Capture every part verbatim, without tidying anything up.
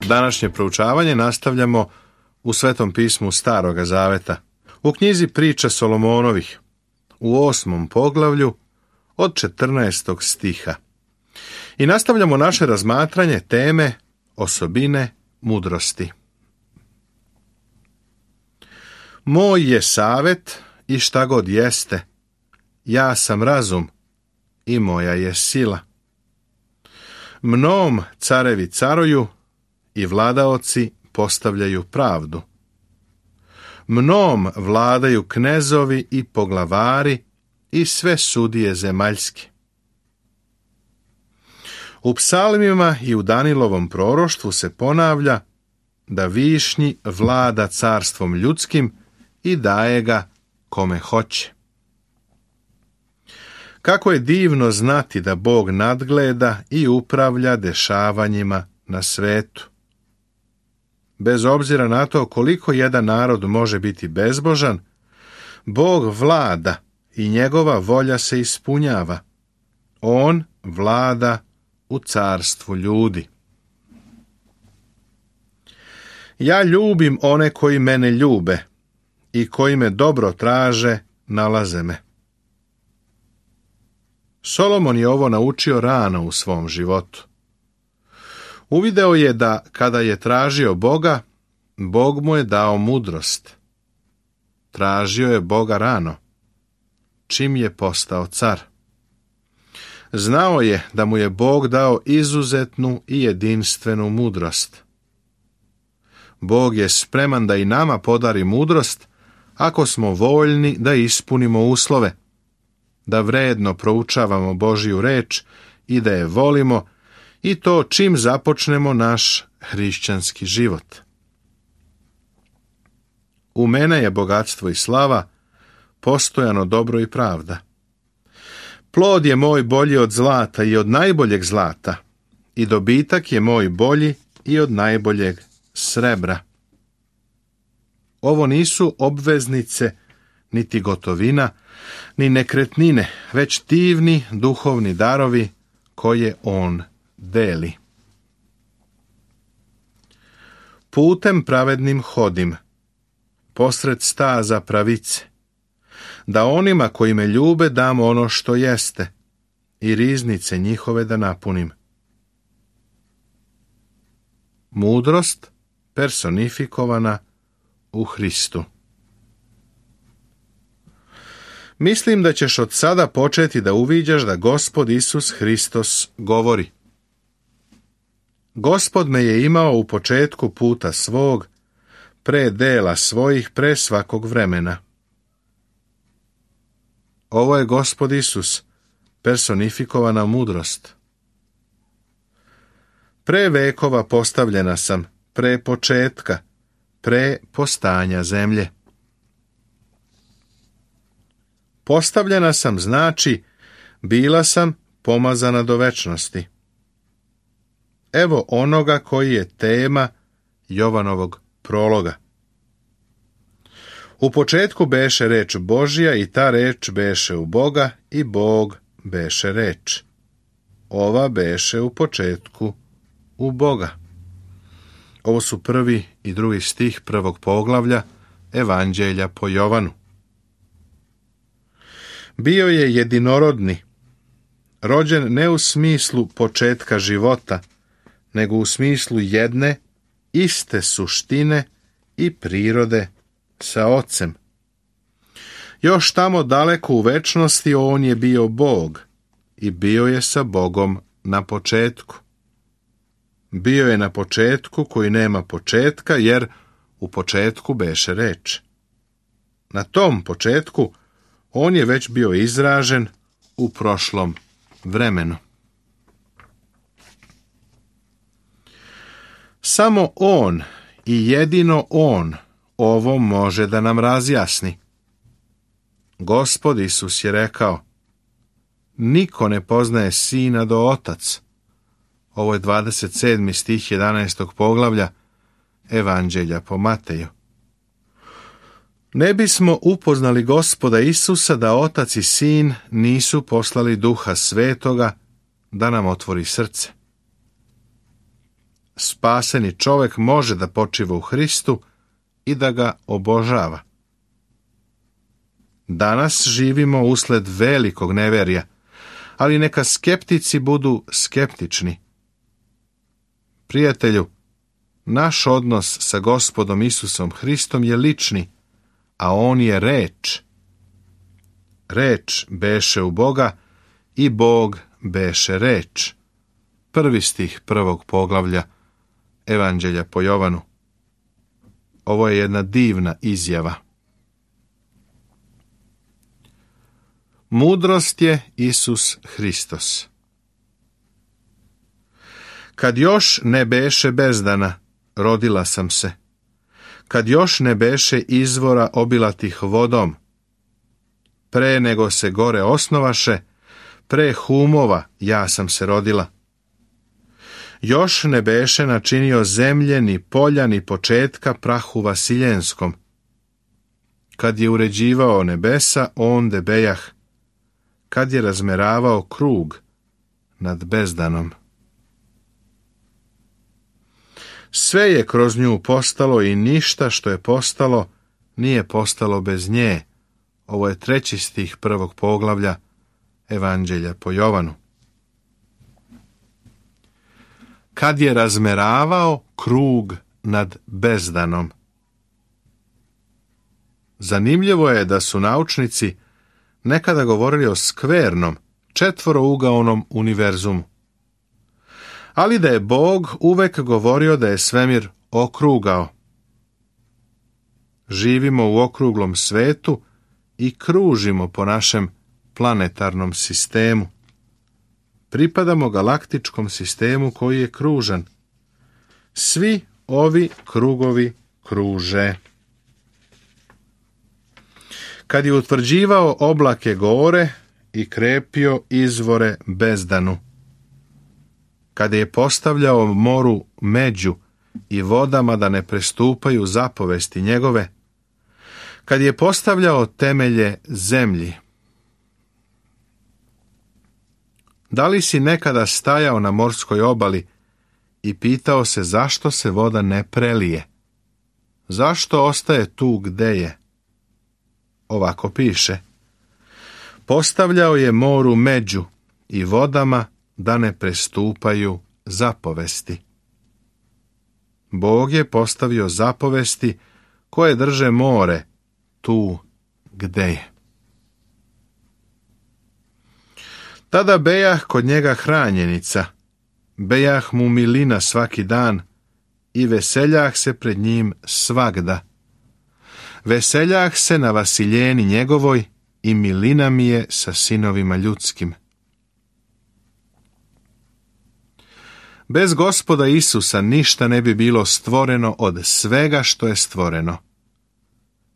Današnje proučavanje nastavljamo u Svetom pismu Staroga Zaveta, u knjizi Priča Solomonovih, u osmom poglavlju od četrnaestog stiha. I nastavljamo naše razmatranje teme osobine mudrosti. Moj je savet i šta god jeste, ja sam razum i moja je sila. Mnom carevi caruju i vladaoci postavljaju pravdu. Mnom vladaju knezovi i poglavari i sve sudije zemaljske. U psalmima i u Danilovom proroštvu se ponavlja da višnji vlada carstvom ljudskim i daje ga kome hoće. Kako je divno znati da Bog nadgleda i upravlja dešavanjima na svetu. Bez obzira na to koliko jedan narod može biti bezbožan, Bog vlada i njegova volja se ispunjava. On vlada u carstvu ljudi. Ja ljubim one koji mene ljube i koji me dobro traže, nalaze me. Solomon je ovo naučio rano u svom životu. Uvideo je da kada je tražio Boga, Bog mu je dao mudrost. Tražio je Boga rano, čim je postao car. Znao je da mu je Bog dao izuzetnu i jedinstvenu mudrost. Bog je spreman da i nama podari mudrost ako smo voljni da ispunimo uslove, da vredno proučavamo Božju reč i da je volimo, i to čim započnemo naš hrišćanski život. U mene je bogatstvo i slava, postojano dobro i pravda. Plod je moj bolji od zlata i od najboljeg zlata, i dobitak je moj bolji i od najboljeg srebra. Ovo nisu obveznice, niti gotovina, ni nekretnine, već divni duhovni darovi koje on deli. Putem pravednim hodim, posred staza pravice, da onima koji me ljube dam ono što jeste i riznice njihove da napunim. Mudrost personifikovana u Hristu. Mislim da ćeš od sada početi da uviđaš da Gospod Isus Hristos govori. Gospod me je imao u početku puta svog, pre dela svojih, pre svakog vremena. Ovo je Gospod Isus, personifikovana mudrost. Pre vekova postavljena sam, pre početka, pre postanja zemlje. Postavljena sam znači, bila sam pomazana do večnosti. Evo onoga koji je tema Jovanovog prologa. U početku beše reč Božja i ta reč beše u Boga i Bog beše reč. Ova beše u početku u Boga. Ovo su prvi i drugi stih prvog poglavlja Evanđelja po Jovanu. Bio je jedinorodni, rođen ne u smislu početka života, nego u smislu jedne, iste suštine i prirode sa Ocem. Još tamo daleko u večnosti on je bio Bog i bio je sa Bogom na početku. Bio je na početku koji nema početka, jer u početku beše reč. Na tom početku on je već bio izražen u prošlom vremenu. Samo on i jedino on ovo može da nam razjasni. Gospod Isus je rekao: niko ne poznaje Sina do Otac. Ovo je dvadeset sedmi stih jedanaestog poglavlja Evanđelja po Mateju. Ne bismo upoznali Gospoda Isusa da Otac i Sin nisu poslali Duha Svetoga da nam otvori srce. spaseni čovjek može da počiva u Hristu i da ga obožava. Danas živimo usled velikog neverja, ali neka skeptici budu skeptični. Prijatelju, naš odnos sa Gospodom Isusom Hristom je lični, a on je reč. Reč beše u Boga i Bog beše reč. Prvi stih prvog poglavlja Evanđelja po Jovanu. Ovo je jedna divna izjava. Mudrost je Isus Hristos. Kad još ne beše bezdana, rodila sam se. Kad još ne beše izvora obilatih vodom, pre nego se gore osnovaše, pre humova ja sam se rodila. Još ne beše načinio zemlje, ni polja, ni početka prahu vasiljenskom. Kad je uređivao nebesa, onde bejah. Kad je razmeravao krug nad bezdanom. Sve je kroz nju postalo i ništa što je postalo nije postalo bez nje. Ovo je treći stih prvog poglavlja Evanđelja po Jovanu. Kad je razmeravao krug nad bezdanom. Zanimljivo je da su naučnici nekada govorili o skvernom, četvorougaonom univerzumu. Ali da je Bog uvek govorio da je svemir okrugao. Živimo u okruglom svetu i kružimo po našem planetarnom sistemu. Pripadamo galaktičkom sistemu koji je kružan. Svi ovi krugovi kruže. Kad je utvrđivao oblake gore i krepio izvore bezdanu. Kada je postavljao moru među i vodama da ne prestupaju zapovesti njegove. Kad je postavljao temelje zemlji. Da li si nekada stajao na morskoj obali i pitao se zašto se voda ne prelije? Zašto ostaje tu gde je? Ovako piše. Postavljao je moru među i vodama da ne prestupaju zapovesti. Bog je postavio zapovesti koje drže more tu gde je. Tada bejah kod njega hranjenica, bejah mu milina svaki dan i veseljah se pred njim svagda. Veseljah se na vasiljeni njegovoj i milina mi je sa sinovima ljudskim. Bez Gospoda Isusa ništa ne bi bilo stvoreno od svega što je stvoreno.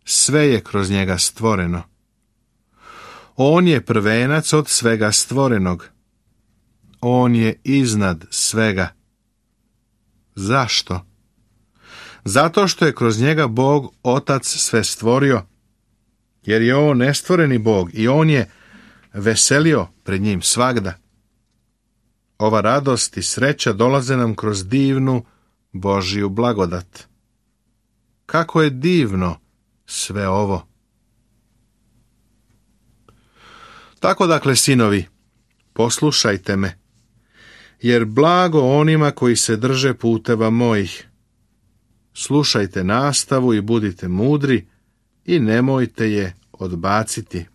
Sve je kroz njega stvoreno. On je prvenac od svega stvorenog. On je iznad svega. Zašto? Zato što je kroz njega Bog Otac sve stvorio, jer je on nestvoreni Bog i on je veselio pred njim svagda. Ova radost i sreća dolaze nam kroz divnu Božju blagodat. Kako je divno sve ovo! Tako dakle, sinovi, poslušajte me, jer blago onima koji se drže puteva mojih. Slušajte nastavu i budite mudri i nemojte je odbaciti.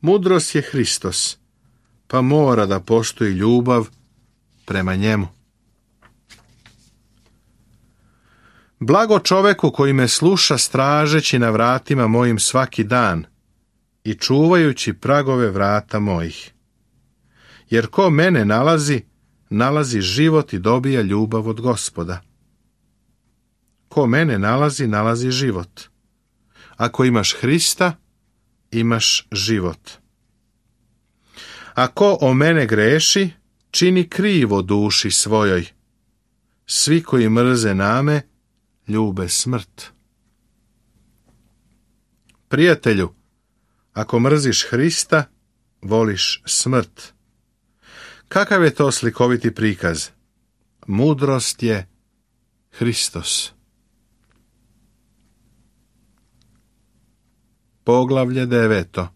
Mudrost je Hristos, pa mora da postoji ljubav prema njemu. Blago čoveku koji me sluša stražeći na vratima mojim svaki dan i čuvajući pragove vrata mojih. Jer ko mene nalazi, nalazi život i dobija ljubav od Gospoda. Ko mene nalazi, nalazi život. Ako imaš Hrista, imaš život. Ako o mene greši, čini krivo duši svojoj. Svi koji mrze name, ljube smrt. Prijatelju, ako mrziš Hrista, voliš smrt. Kakav je to slikoviti prikaz? Mudrost je Hristos. Poglavlje deveto.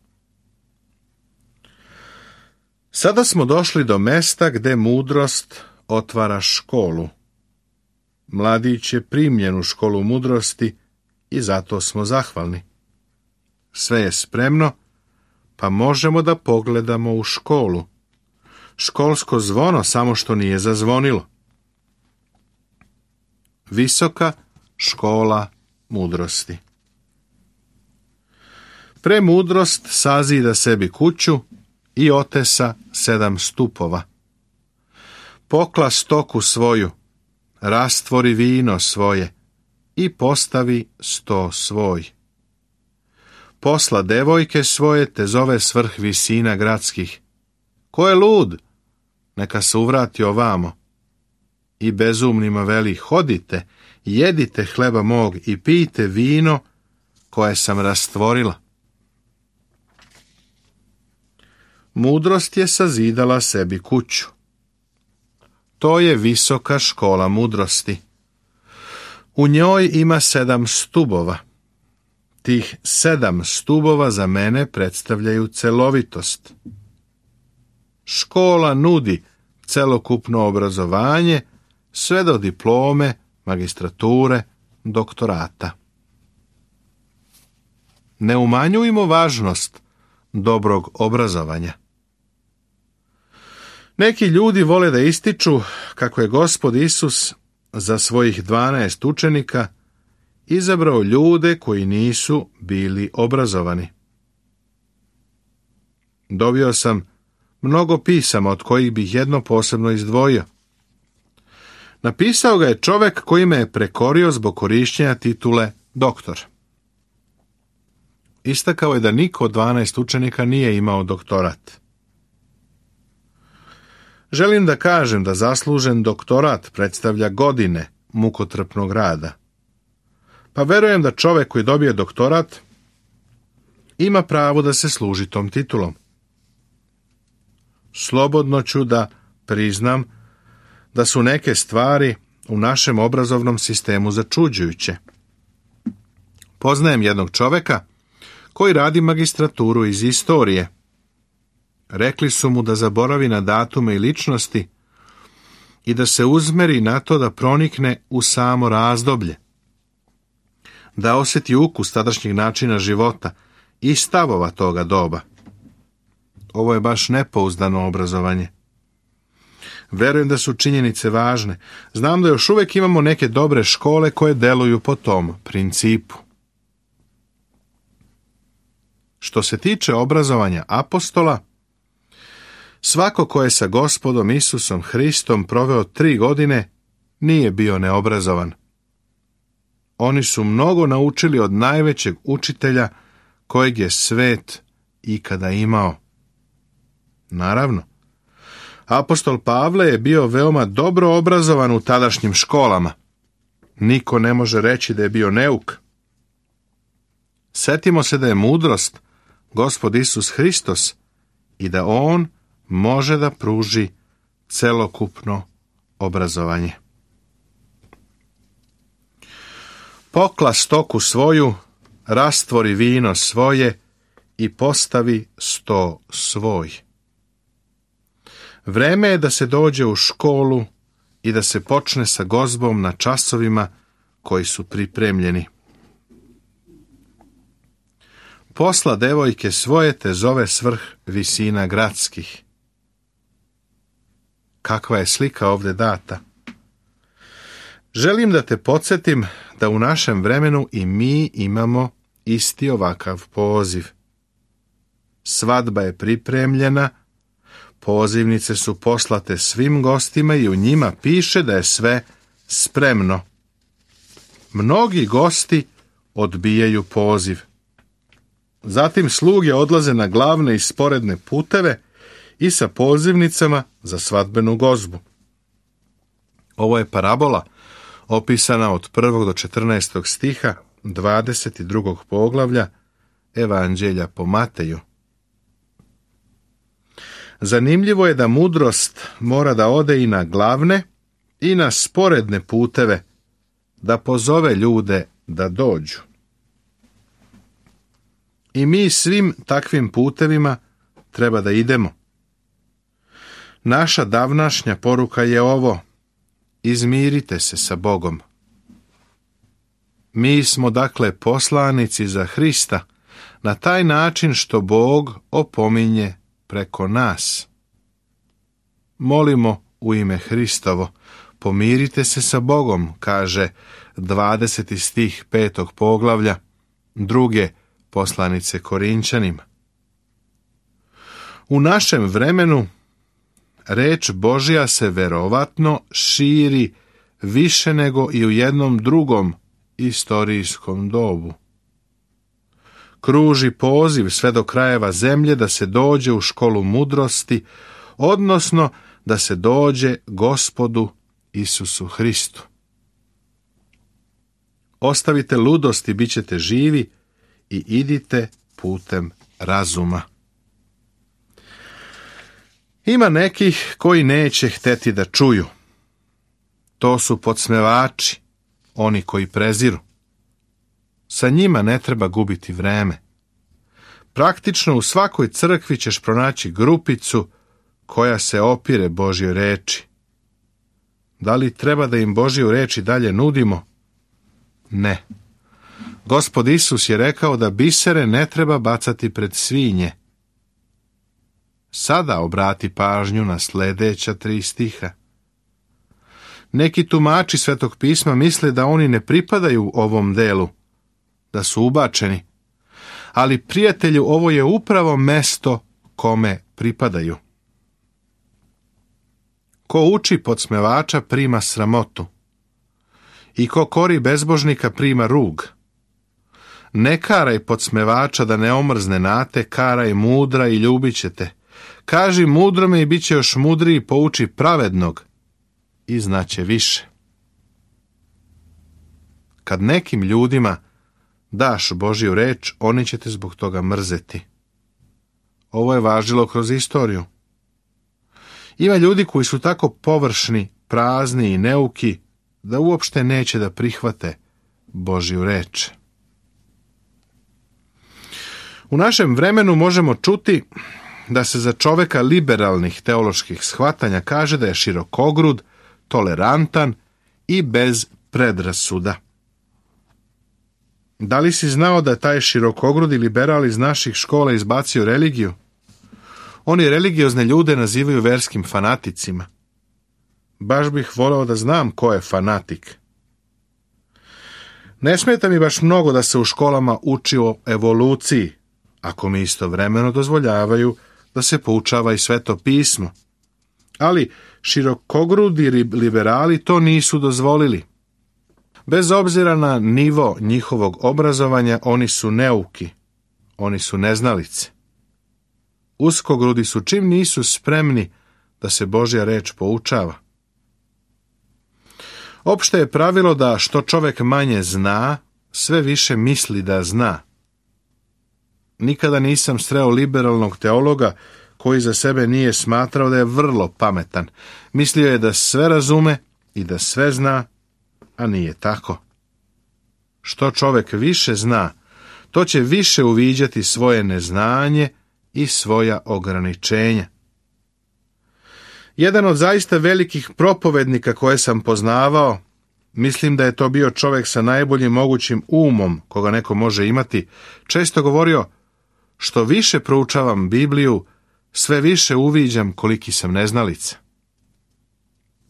Sada smo došli do mesta gde mudrost otvara školu. Mladić je primljen u školu mudrosti i zato smo zahvalni. Sve je spremno, pa možemo da pogledamo u školu. Školsko zvono samo što nije zazvonilo. Visoka škola mudrosti. Premudrost sazida sebi kuću i otesa sedam stupova. Pokla stoku svoju, rastvori vino svoje i postavi sto svoj. Posla devojke svoje te zove svrh visina gradskih. Ko je lud? Neka se uvrati ovamo. I bezumnima veli, hodite, jedite hleba mog i pijte vino koje sam rastvorila. Mudrost je sazidala sebi kuću. To je visoka škola mudrosti. U njoj ima sedam stubova. Tih sedam stubova za mene predstavljaju celovitost. Škola nudi celokupno obrazovanje sve do diplome, magistrature, doktorata. Ne umanjujmo važnost dobrog obrazovanja. Neki ljudi vole da ističu kako je Gospod Isus za svojih dvanaest učenika izabrao ljude koji nisu bili obrazovani. Dobio sam mnogo pisama od kojih bih jedno posebno izdvojio. Napisao ga je čovek koji me je prekorio zbog korišćenja titule doktor. Istakao je da niko od dvanaest učenika nije imao doktorat. Želim da kažem da zaslužen doktorat predstavlja godine mukotrpnog rada. Pa verujem da čovek koji dobije doktorat ima pravo da se služi tom titulom. Slobodno ću da priznam da su neke stvari u našem obrazovnom sistemu začuđujuće. Poznajem jednog čoveka koji radi magistraturu iz istorije. Rekli su mu da zaboravi na datume i ličnosti i da se uzmeri na to da pronikne u samo razdoblje, da osjeti ukus tadašnjeg načina života i stavova toga doba. Ovo je baš nepouzdano obrazovanje. Verujem da su činjenice važne. Znam da još uvijek imamo neke dobre škole koje deluju po tom principu. Što se tiče obrazovanja apostola, svako ko je sa Gospodom Isusom Hristom proveo tri godine nije bio neobrazovan. Oni su mnogo naučili od najvećeg učitelja kojeg je svet ikada imao. Naravno, apostol Pavle je bio veoma dobro obrazovan u tadašnjim školama. Niko ne može reći da je bio neuk. Setimo se da je mudrost Gospod Isus Hristos i da on može da pruži celokupno obrazovanje. Pokla stoku svoju, rastvori vino svoje i postavi sto svoj. Vreme je da se dođe u školu i da se počne sa gozbom na časovima koji su pripremljeni. Posla devojke svoje te zove svrh visina gradskih. Kakva je slika ovdje data? Želim da te podsjetim da u našem vremenu i mi imamo isti ovakav poziv. Svadba je pripremljena, pozivnice su poslate svim gostima i u njima piše da je sve spremno. Mnogi gosti odbijaju poziv. Zatim sluge odlaze na glavne i sporedne puteve i sa pozivnicama za svadbenu gozbu. Ovo je parabola opisana od prvog do četrnaestog stiha dvadeset drugog poglavlja Evanđelja po Mateju. Zanimljivo je da mudrost mora da ode i na glavne i na sporedne puteve, da pozove ljude da dođu. I mi svim takvim putevima treba da idemo. Naša davnašnja poruka je ovo: izmirite se sa Bogom. Mi smo dakle poslanici za Hrista na taj način što Bog opominje preko nas. Molimo u ime Hristovo, pomirite se sa Bogom, kaže dvadeseti stih petog poglavlja druge poslanice Korinčanima. U našem vremenu reč Božja se verovatno širi više nego i u jednom drugom istorijskom dobu. Kruži poziv sve do krajeva zemlje da se dođe u školu mudrosti, odnosno da se dođe Gospodu Isusu Hristu. Ostavite ludost i bit ćete živi i idite putem razuma. Ima nekih koji neće hteti da čuju. To su podsmevači, oni koji preziru. Sa njima ne treba gubiti vreme. Praktično u svakoj crkvi ćeš pronaći grupicu koja se opire Božjoj reči. Da li treba da im Božju reč i dalje nudimo? Ne. Gospod Isus je rekao da bisere ne treba bacati pred svinje. Sada obrati pažnju na sljedeća tri stiha. Neki tumači Svetog pisma misle da oni ne pripadaju ovom delu, da su ubačeni, ali prijatelju, ovo je upravo mesto kome pripadaju. Ko uči podsmevača prima sramotu i ko kori bezbožnika prima rug. Ne karaj podsmevača da ne omrzne nate, karaj mudra i ljubit će te. Kaži mudrome i bit će još mudriji, pouči pravednog i znaće više. Kad nekim ljudima daš Božju reč, oni će te zbog toga mrzeti. Ovo je važilo kroz istoriju. Ima ljudi koji su tako površni, prazni i neuki da uopšte neće da prihvate Božju reč. U našem vremenu možemo čuti da se za čoveka liberalnih teoloških shvatanja kaže da je širokogrud, tolerantan i bez predrasuda. Da li si znao da taj širokogrudi liberal iz naših škola izbacio religiju? Oni religiozne ljude nazivaju verskim fanaticima. Baš bih voleo da znam ko je fanatik. Ne smeta mi baš mnogo da se u školama uči o evoluciji, ako mi istovremeno dozvoljavaju da se poučava i Sveto pismo. Ali širokogrudi liberali to nisu dozvolili. Bez obzira na nivo njihovog obrazovanja, oni su neuki, oni su neznalice. Uskogrudi su čim nisu spremni da se Božja reč poučava. Opšte je pravilo da što čovjek manje zna, sve više misli da zna. Nikada nisam sreo liberalnog teologa koji za sebe nije smatrao da je vrlo pametan. Mislio je da sve razume i da sve zna, a nije tako. Što čovjek više zna, to će više uviđati svoje neznanje i svoja ograničenja. Jedan od zaista velikih propovednika koje sam poznavao, mislim da je to bio čovjek sa najboljim mogućim umom koga neko može imati, često govorio: što više proučavam Bibliju, sve više uviđam koliki sam neznalica.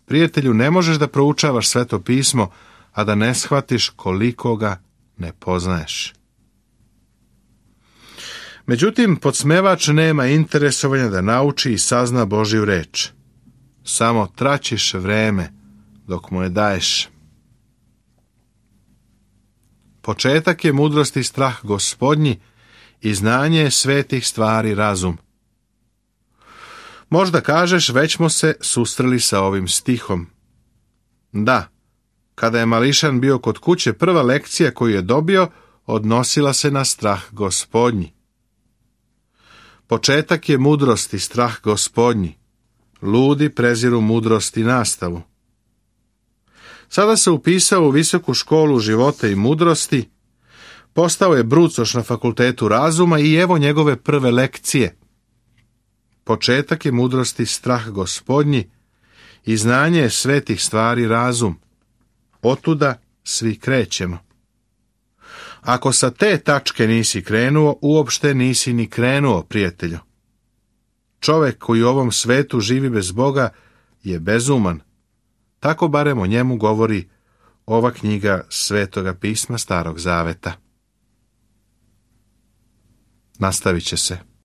Prijatelju, ne možeš da proučavaš Sveto pismo, a da ne shvatiš koliko ga ne poznaješ. Međutim, podsmevač nema interesovanja da nauči i sazna Božju reč. Samo traćiš vreme dok mu je daješ. Početak je mudrosti strah Gospodnji i znanje svetih stvari razum. Možda kažeš, već smo se susreli sa ovim stihom. Da, kada je mališan bio kod kuće, prva lekcija koju je dobio odnosila se na strah Gospodnji. Početak je mudrosti strah Gospodnji. Ludi preziru mudrost i nastavu. Sada se upisao u visoku školu života i mudrosti, postao je brucoš na fakultetu razuma i evo njegove prve lekcije. Početak je mudrosti strah Gospodnji i znanje svetih stvari razum. Otuda svi krećemo. Ako sa te tačke nisi krenuo, uopšte nisi ni krenuo, prijatelju. Čovek koji u ovom svetu živi bez Boga je bezuman. Tako barem o njemu govori ova knjiga Svetoga pisma Starog Zaveta. Nastavit će se.